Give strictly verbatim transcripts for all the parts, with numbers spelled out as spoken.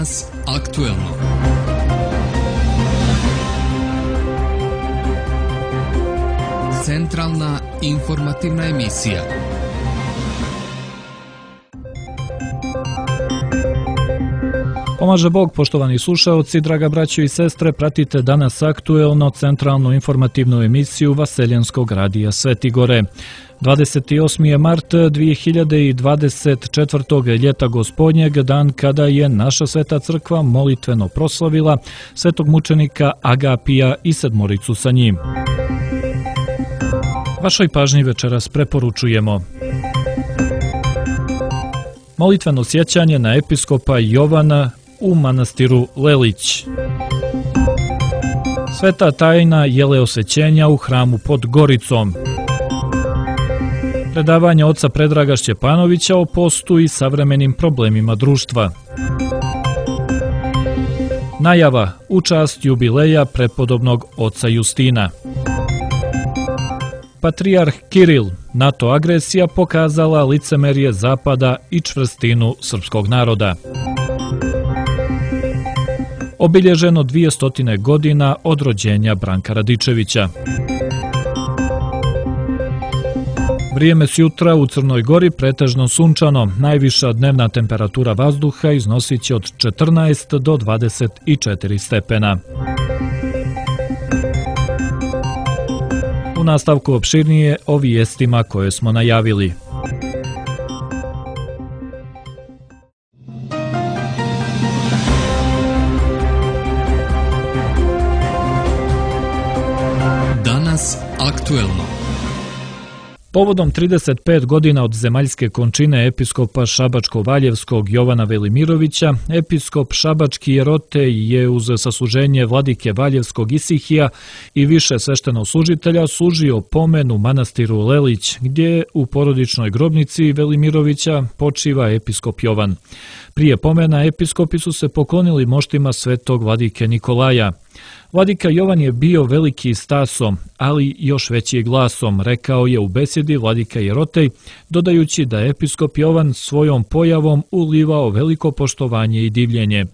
Danas aktuelno. Centralna informativna emisija. Pomaže Bog, poštovani slušaoci, draga braćo i sestre, pratite danas aktuelno centralnu informativnu emisiju Vaseljenskog radija Sveti Gore. dvadeset osmi je mart dvije hiljade dvadeset četvrtog. ljeta gospodnjeg, dan kada je naša sveta crkva molitveno proslavila svetog mučenika Agapija i sedmoricu sa njim. Vašoj pažnji večeras preporučujemo molitveno sjećanje na episkopa Jovana u manastiru Lelić. Sveta tajna jeleosvećenja u hramu pod Goricom. Predavanje oca Predraga Šćepanovića o postu i savremenim problemima društva. Najava u čast jubileja prepodobnog oca Justina. Patrijarh Kiril, NATO agresija pokazala licemerje Zapada i čvrstinu srpskog naroda. Obilježeno dvjesto godina od rođenja Branka Radičevića. Vrijeme s jutra u Crnoj Gori pretežno sunčano, najviša dnevna temperatura vazduha iznosit će od četrnaest do dvadeset četiri stepena. U nastavku opširnije o vijestima koje smo najavili. Danas aktuelno. Povodom trideset pet godina od zemaljske končine episkopa Šabačko-Valjevskog Jovana Velimirovića, episkop Šabački Jerotej je uz sasluženje vladike Valjevskog Isihija i više sveštenoslужitelja služio pomen u manastiru Lelić, gdje u porodičnoj grobnici Velimirovića počiva episkop Jovan. Prije pomena episkopi su se poklonili moštima svetog vladike Nikolaja. Vladika Jovan je bio veliki stasom, ali još veći glasom, rekao je u besedi vladika Jerotej, dodajući da je episkop Jovan svojom pojavom ulivao veliko poštovanje i divljenje.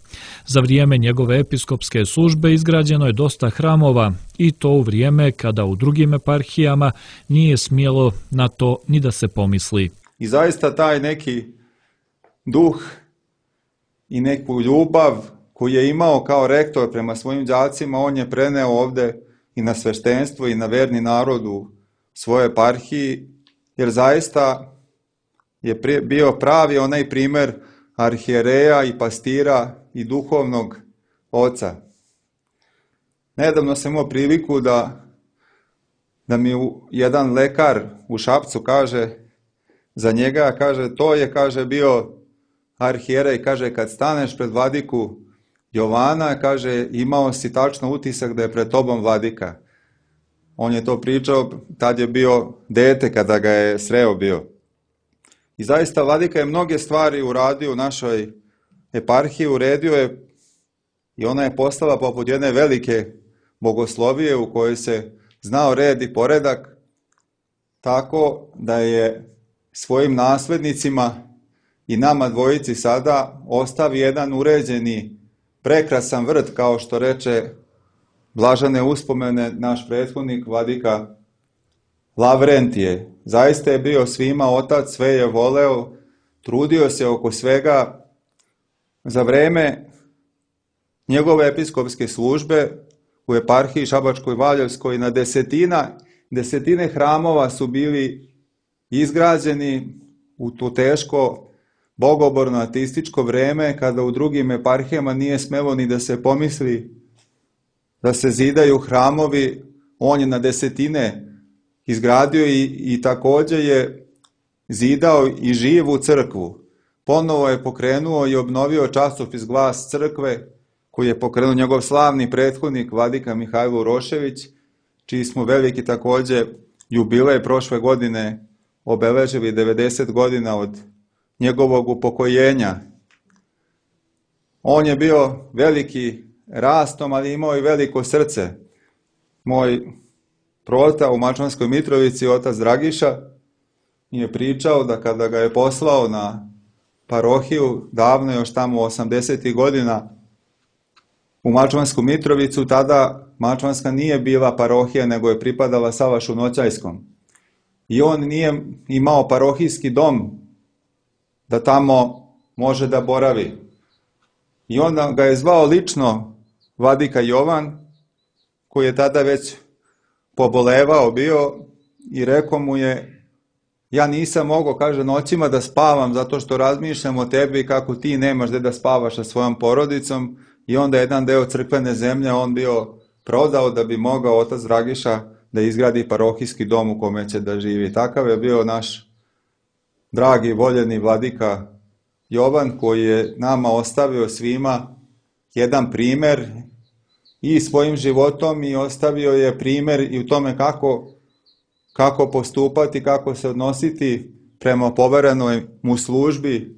Za vrijeme njegove episkopske službe izgrađeno je dosta hramova, i to u vrijeme kada u drugim eparhijama nije smjelo na to ni da se pomisli. I zaista taj neki duh i neku ljubav koji je imao kao rektor prema svojim đacima, on je preneo ovde i na sveštenstvo i na verni narod u svojoj eparhiji, jer zaista je bio pravi onaj primer arhijereja i pastira i duhovnog oca. Nedavno sam imao priliku da, da mi jedan lekar u Šapcu kaže za njega, kaže, to je, kaže, bio arhijerej, kaže, kad staneš pred vladiku Jovana, kaže, imao si tačno utisak da je pred tobom vladika. On je to pričao, tad je bio dete kada ga je sreo bio. I zaista vladika je mnoge stvari uradio u našoj eparhiji, uredio je i ona je postala poput jedne velike bogoslovije u kojoj se znao red i poredak, tako da je svojim naslednicima i nama dvojici sada ostavi jedan uređeni prekrasan vrt, kao što reče blažene uspomene naš prethodnik vladika Lavrentije. Zaista je bio svima otac, sve je voleo, trudio se oko svega. Za vreme njegove episkopske službe u eparhiji Šabačkoj Valjevskoj na desetina, desetine hramova su bili izgrađeni u to teško bogoborno ateističko vreme, kada u drugim eparhijama nije smelo ni da se pomisli da se zidaju hramovi. On je na desetine izgradio i, i također je zidao i živu crkvu. Ponovo je pokrenuo i obnovio časopis Glas crkve, koji je pokrenuo njegov slavni prethodnik vladika Mihajlo Urošević, čiji smo veliki također jubilej prošle godine obeležili devedeset godina od njegovog upokojenja. On je bio veliki rastom, ali imao i veliko srce. Moj prota u Mačvanskoj Mitrovici, otac Dragiša, mi je pričao da kada ga je poslao na parohiju, davno još tamo osamdesetih godina u Mačvansku Mitrovicu. Tada Mačvanska nije bila parohija, nego je pripadala Savašu Noćajskom. I on nije imao parohijski dom da tamo može da boravi. I onda ga je zvao lično vladika Jovan, koji je tada već pobolevao bio, i rekao mu je: ja nisam mogao, kaže, noćima da spavam zato što razmišljam o tebi kako ti nemaš gde da spavaš sa svojom porodicom. I onda jedan deo crkvene zemlje on bio prodao da bi mogao otac Dragiša da izgradi parohijski dom u kome će da živi. Takav je bio naš dragi, voljeni vladika Jovan, koji je nama ostavio svima jedan primer i svojim životom, i ostavio je primer i u tome kako, kako postupati, kako se odnositi prema poverenoj mu službi,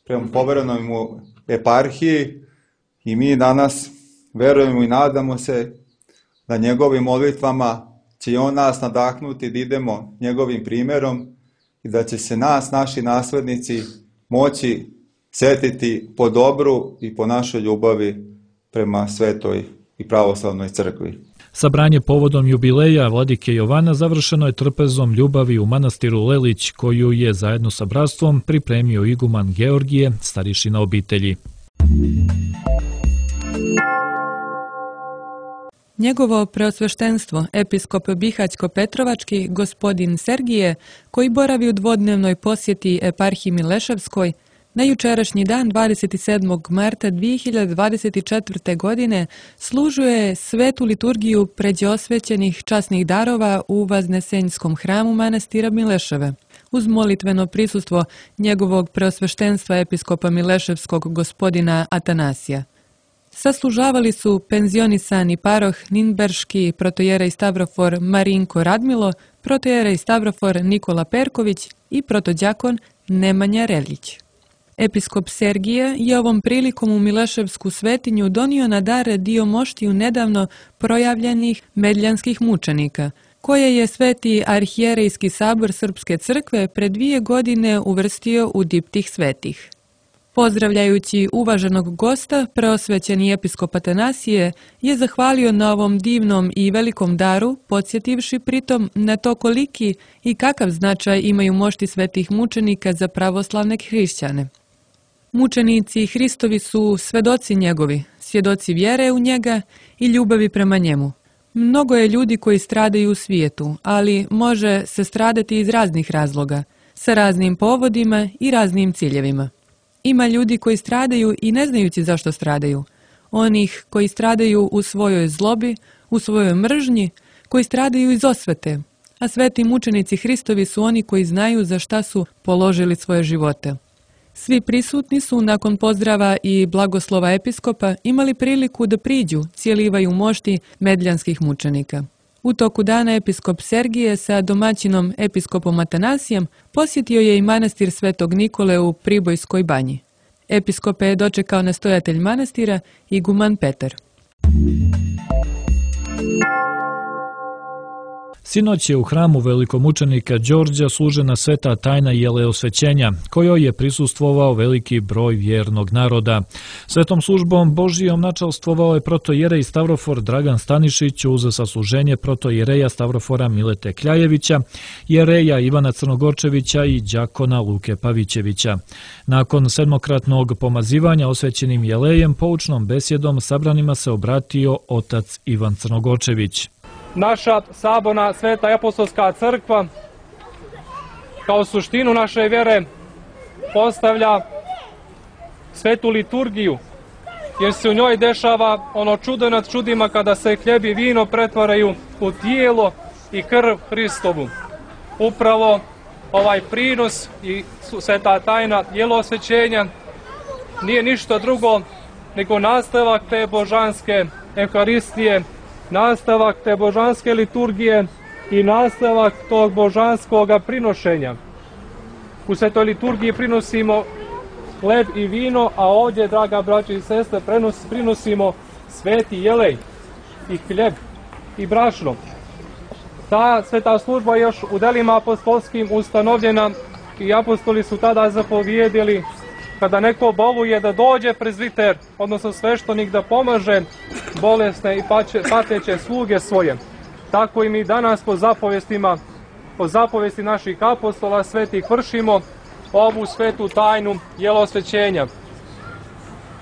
prema poverenoj mu eparhiji. I mi danas verujemo i nadamo se da njegovim molitvama će on nas nadahnuti da idemo njegovim primjerom i da će se nas, naši naslednici, moći setiti po dobru i po našoj ljubavi prema svetoj i pravoslavnoj crkvi. Sabranje povodom jubileja vladike Jovana završeno je trpezom ljubavi u manastiru Lelić, koju je zajedno sa bratstvom pripremio iguman Georgije, starešina obitelji. Njegovo preosveštenstvo, episkop Bihaćko-Petrovački, gospodin Sergije, koji boravi u dvodnevnoj posjeti eparhiji Mileševskoj, na jučerašnji dan dvadeset sedmog marta dvije hiljade dvadeset četvrte. godine služuje svetu liturgiju pređe osvećenih časnih darova u Vaznesenjskom hramu manastira Mileševe. Uz molitveno prisustvo njegovog preosveštenstva episkopa Mileševskog gospodina Atanasija. Saslužavali su penzionisani paroh Ninberški protojerej Stavrofor Marinko Radmilo, protojerej Stavrofor Nikola Perković i protodjakon Nemanja Reljić. Episkop Sergije je ovom prilikom u Mileševsku svetinju donio na dar dio moštiju nedavno projavljenih medljanskih mučenika, koje je Sveti arhijerejski sabor Srpske crkve pre dvije godine uvrstio u diptih svetih. Pozdravljajući uvaženog gosta, preosvećeni episkop Atanasije je zahvalio na ovom divnom i velikom daru, podsjetivši pritom na to koliki i kakav značaj imaju mošti svetih mučenika za pravoslavne hrišćane. Mučenici Hristovi su svedoci njegovi, svjedoci vjere u njega i ljubavi prema njemu. Mnogo je ljudi koji stradaju u svijetu, ali može se stradati iz raznih razloga, sa raznim povodima i raznim ciljevima. Ima ljudi koji stradaju i ne znajući zašto stradaju. Onih koji stradaju u svojoj zlobi, u svojoj mržnji, koji stradaju iz osvete. A sveti mučenici Hristovi su oni koji znaju za šta su položili svoje živote. Svi prisutni su nakon pozdrava i blagoslova episkopa imali priliku da priđu, cijelivaju mošti medljanskih mučenika. U toku dana episkop Sergije sa domaćinom episkopom Atanasijem posjetio je i manastir Svetog Nikole u Pribojskoj banji. Episkope je dočekao nastojatelj manastira iguman Petar. Sinoć je u hramu velikomučenika Đorđa služena sveta tajna jeleosvećenja, kojoj je prisustvovao veliki broj vjernog naroda. Svetom službom Božijom načalstvovao je protojerej Stavrofor Dragan Stanišić uz sasluženje protojereja Stavrofora Milete Kljajevića, jereja Ivana Crnogorčevića i đakona Luke Pavićevića. Nakon sedmokratnog pomazivanja osvećenim jelejem, poučnom besjedom sabranima se obratio otac Ivan Crnogorčević. Naša saborna sveta apostolska crkva kao suštinu naše vjere postavlja svetu liturgiju, jer se u njoj dešava ono čudo nad čudima kada se hljeb i vino pretvaraju u tijelo i krv Hristovu. Upravo ovaj prinos i sveta tajna jelosvećenja nije ništa drugo nego nastavak te božanske Euharistije, nastavak te božanske liturgije i nastavak tog božanskog prinošenja. U svetoj liturgiji prinosimo hleb i vino, a ovdje, draga braća i sestre, prinosimo sveti jelej i hljeb i brašno. Ta sveta služba je još u delima apostolskim ustanovljena i apostoli su tada zapovjedili kada neko boluje da dođe prezbiter, odnosno sveštenik da pomaže bolesne i pateće sluge svoje. Tako i mi danas po zapovestima, po zapovesti naših apostola svetih vršimo ovu svetu tajnu jelosvećenja.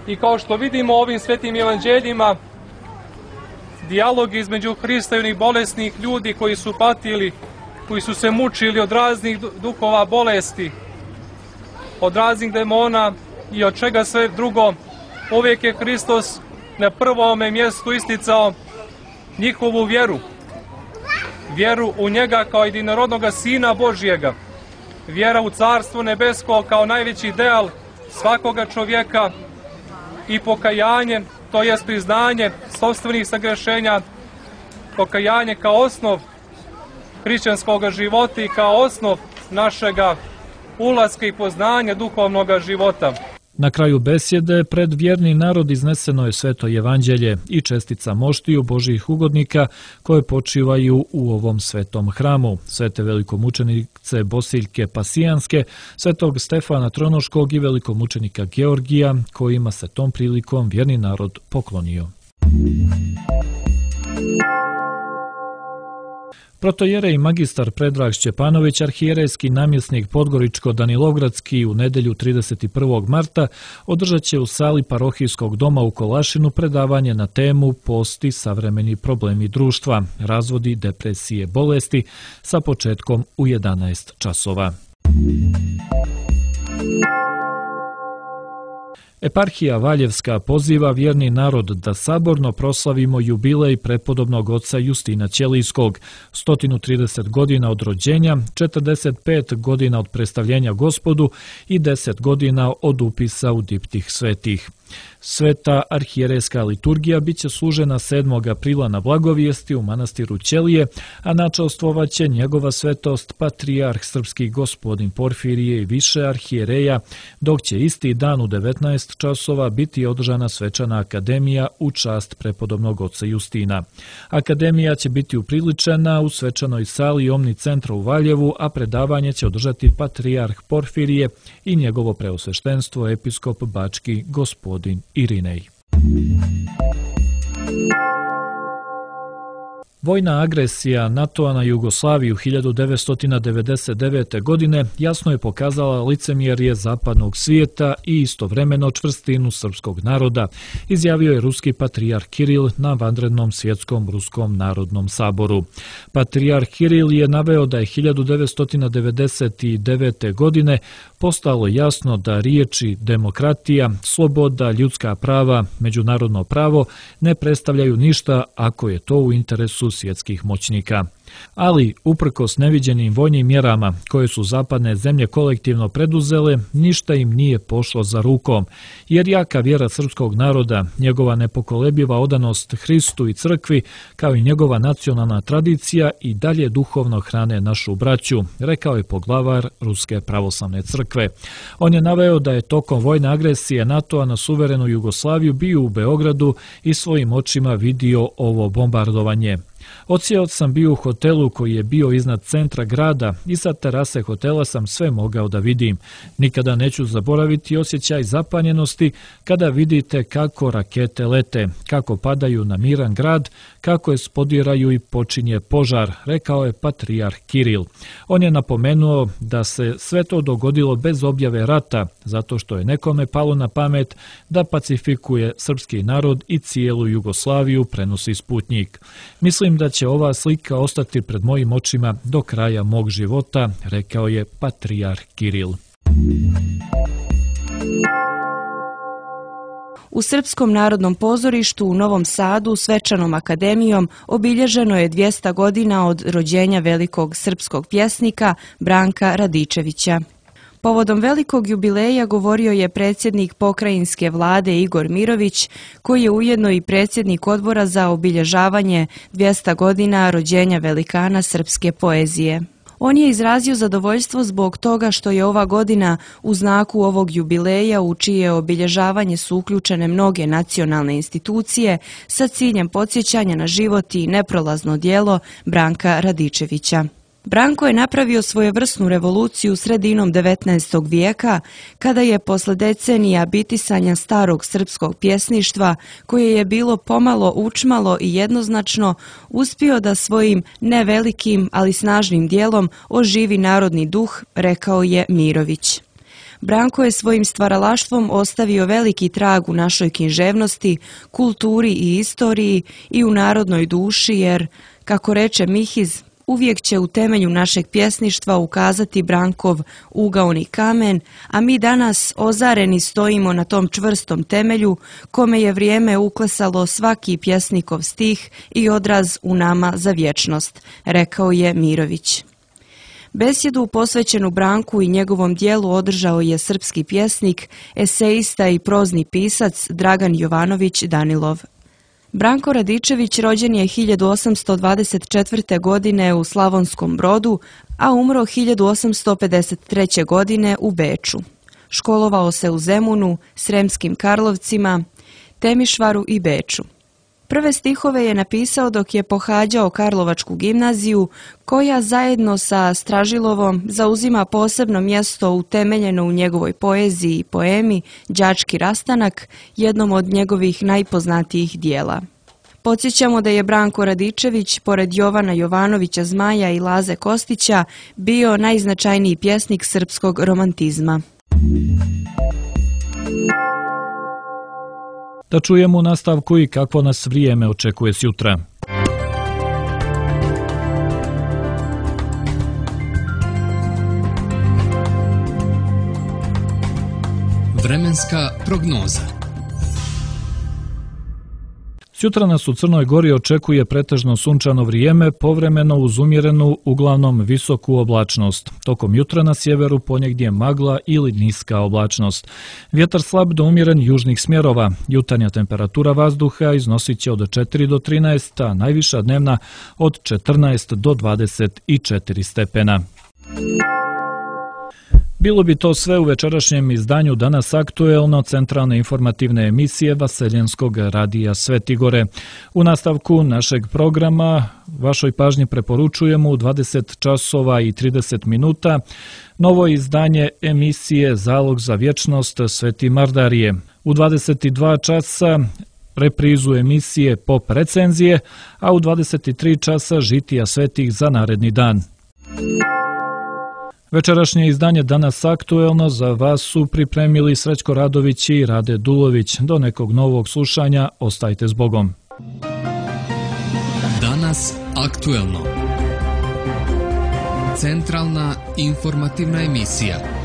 I kao što vidimo ovim svetim evanđeljima, dijalog između Hrista i onih bolesnih ljudi koji su patili, koji su se mučili od raznih duhova bolesti, od raznih demona i od čega sve drugo, uvijek je Hristos na prvome mjestu isticao njihovu vjeru. Vjeru u njega kao jedinorodnoga Sina Božjega. Vjera u Carstvo nebesko kao najveći ideal svakoga čovjeka i pokajanje, to jest priznanje sopstvenih sagrešenja, pokajanje kao osnov hrišćanskog života i kao osnov našega ulaska i poznanja duhovnog života. Na kraju besjede pred vjerni narod izneseno je sveto evanđelje i čestica moštiju Božjih ugodnika koje počivaju u ovom svetom hramu, svete velikomučenice Bosiljke Pasijanske, svetog Stefana Tronoškog i velikomučenika Georgija, kojima se tom prilikom vjerni narod poklonio. Protojerej magistar Predrag Šćepanović, arhijerejski namjesnik Podgoričko-Danilovgradski, u nedjelju trideset prvog marta održat će u sali parohijskog doma u Kolašinu predavanje na temu Post i savremeni problemi društva, razvodi, depresije, bolesti, sa početkom u jedanaest časova. Eparhija Valjevska poziva vjerni narod da saborno proslavimo jubilej prepodobnog oca Justina Ćelijskog, sto trideset godina od rođenja, četrdeset pet godina od predstavljenja Gospodu i deset godina od upisa u diptih svetih. Sveta arhijerejska liturgija bit će služena sedmog aprila na Blagovijesti u manastiru Ćelije, a načastvovat će njegova svetost patrijarh srpski gospodin Porfirije i više arhijereja, dok će isti dan u devetnaest časova biti održana svečana akademija u čast prepodobnog oca Justina. Akademija će biti upriličena u svečanoj sali Omni centra u Valjevu, a predavanje će održati patrijarh Porfirije i njegovo preosveštenstvo episkop bački gospodin Irinej. Vojna agresija NATO-a na Jugoslaviju hiljadu devetsto devedeset devete. godine jasno je pokazala licemjerje zapadnog svijeta i istovremeno čvrstinu srpskog naroda, izjavio je ruski patrijarh Kiril na vanrednom svjetskom ruskom narodnom saboru. Patrijarh Kiril je naveo da je hiljadu devetsto devedeset devete. godine postalo jasno da riječi demokratija, sloboda, ljudska prava, međunarodno pravo ne predstavljaju ništa ako je to u interesu svjetskih moćnika. Ali, uprkos neviđenim vojnim mjerama koje su zapadne zemlje kolektivno preduzele, ništa im nije pošlo za rukom, jer jaka vjera srpskog naroda, njegova nepokolebljiva odanost Hristu i crkvi, kao i njegova nacionalna tradicija i dalje duhovno hrane našu braću, rekao je poglavar Ruske pravoslavne crkve. On je naveo da je tokom vojne agresije NATO-a na suverenu Jugoslaviju bio u Beogradu i svojim očima vidio ovo bombardovanje. Odsjeo sam bio u hotelu koji je bio iznad centra grada i sa terase hotela sam sve mogao da vidim. Nikada neću zaboraviti osjećaj zapanjenosti kada vidite kako rakete lete, kako padaju na miran grad, kako je spodiraju i počinje požar, rekao je patrijarh Kiril. On je napomenuo da se sve to dogodilo bez objave rata, zato što je nekome palo na pamet da pacifikuje srpski narod i cijelu Jugoslaviju, prenosi Sputnjik. Mislim da će ova slika ostati pred mojim očima do kraja mog života, rekao je patrijarh Kiril. U Srpskom narodnom pozorištu u Novom Sadu svečanom akademijom obilježeno je dvjesto godina od rođenja velikog srpskog pjesnika Branka Radičevića. Povodom velikog jubileja govorio je predsjednik pokrajinske vlade Igor Mirović, koji je ujedno i predsjednik odbora za obilježavanje dvjesto godina rođenja velikana srpske poezije. On je izrazio zadovoljstvo zbog toga što je ova godina u znaku ovog jubileja u čije obilježavanje su uključene mnoge nacionalne institucije sa ciljem podsjećanja na život i neprolazno djelo Branka Radičevića. Branko je napravio svojevrsnu revoluciju sredinom devetnaestog vijeka, kada je posle decenija bitisanja starog srpskog pjesništva, koje je bilo pomalo učmalo i jednoznačno, uspio da svojim nevelikim, ali snažnim dijelom oživi narodni duh, rekao je Mirović. Branko je svojim stvaralaštvom ostavio veliki trag u našoj književnosti, kulturi i istoriji i u narodnoj duši jer, kako reče Mihiz, uvijek će u temelju našeg pjesništva ukazati Brankov ugaoni kamen, a mi danas ozareni stojimo na tom čvrstom temelju kome je vrijeme uklesalo svaki pjesnikov stih i odraz u nama za vječnost, rekao je Mirović. Besjedu posvećenu Branku i njegovom dijelu održao je srpski pjesnik, eseista i prozni pisac Dragan Jovanović Danilov. Branko Radičević rođen je hiljadu osamsto dvadeset četvrte. godine u Slavonskom Brodu, a umro hiljadu osamsto pedeset treće. godine u Beču. Školovao se u Zemunu, Sremskim Karlovcima, Temišvaru i Beču. Prve stihove je napisao dok je pohađao Karlovačku gimnaziju, koja zajedno sa Stražilovom zauzima posebno mjesto utemeljeno u njegovoj poeziji i poemi Đački rastanak, jednom od njegovih najpoznatijih dijela. Podsjećamo da je Branko Radičević, pored Jovana Jovanovića Zmaja i Laze Kostića, bio najznačajniji pjesnik srpskog romantizma. Da čujemo u nastavku i kakvo nas vrijeme očekuje sjutra. Vremenska prognoza. Sutra nas u Crnoj Gori očekuje pretežno sunčano vrijeme, povremeno uz umjerenu, uglavnom visoku oblačnost. Tokom jutra na sjeveru ponegdje magla ili niska oblačnost. Vjetar slab do umjeren južnih smjerova. Jutarnja temperatura vazduha iznosit će od četiri do trinaest, a najviša dnevna od četrnaest do dvadeset četiri stepena. Bilo bi to sve u večerašnjem izdanju Danas aktuelno centralne informativne emisije Vaseljenskog radija Svetigore. U nastavku našeg programa vašoj pažnji preporučujemo u dvadeset časova i trideset minuta novo izdanje emisije Zalog za vječnost Sveti Mardarije. U dvadeset dva časa reprizu emisije Pop recenzije, a u dvadeset tri časa žitija svetih za naredni dan. Večerašnje izdanje Danas aktuelno za vas su pripremili Srećko Radović i Rade Dulović. Do nekog novog slušanja, ostajte s Bogom. Danas aktuelno. Centralna informativna emisija.